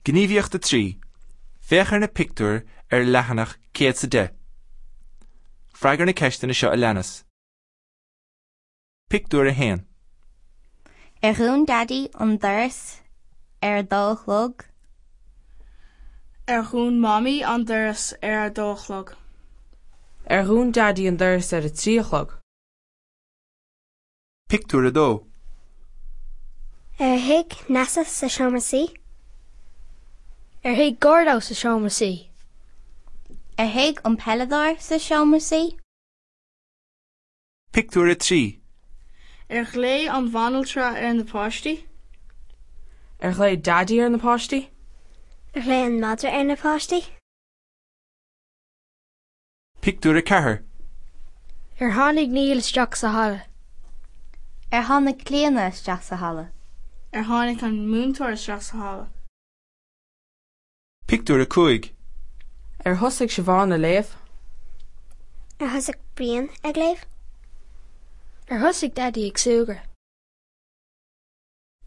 Gníomhaíocht 3. Féach ar na pictiúir ar leathanach 110. Freagair na ceisteanna seo a leanas. Pictiúr 1. Ar dhún Daidí an doras ar a dó a chlog? Ar dhún Mamaí an doras ar a dó a chlog? Ar dhún Daidí an doras ar a trí a chlog? Pictiúr 2. Ar shuigh Neasa sa seomra suí? Ar shuigh Gordo sa seomra suí? Ar shuigh an peileadóir sa seomra suí? Pictiúr 3. Ar ghlaoigh an bhanaltra ar na páistí? Ar ghlaoigh Daidí ar na páistí? Ar ghlaoigh an madra ar na páistí? Pictiúr 4. Ar tháinig Niall isteach sa halla? Ar tháinig Clíona isteach sa halla? Ar tháinig an múinteoir isteach sa halla? Pictiúr 5. Ar thosaigh Siobhán ag léamh? Ar thosaigh Brian ag léamh? Ar thosaigh Daidí ag súgradh?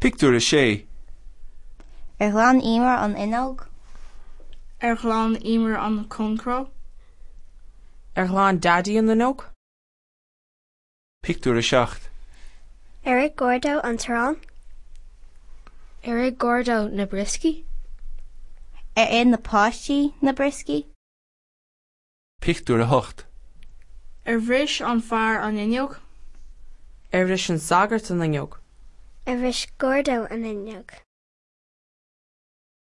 Pictiúr 6. Ar ghlan Emer an fhuinneog? Ar ghlan Emer an concró? Ar ghlan Daidí an fhuinneog? Pictiúr 7. Ar ith Gordo an t-arán? Ar ith Gordo na brioscaí? Ar ith na páistí na brioscaí? Pictiúr 8. Ar bhris an fear an fhuinneog? Ar bhris an sagart an fhuinneog? Ar bhris Gordo an fhuinneog?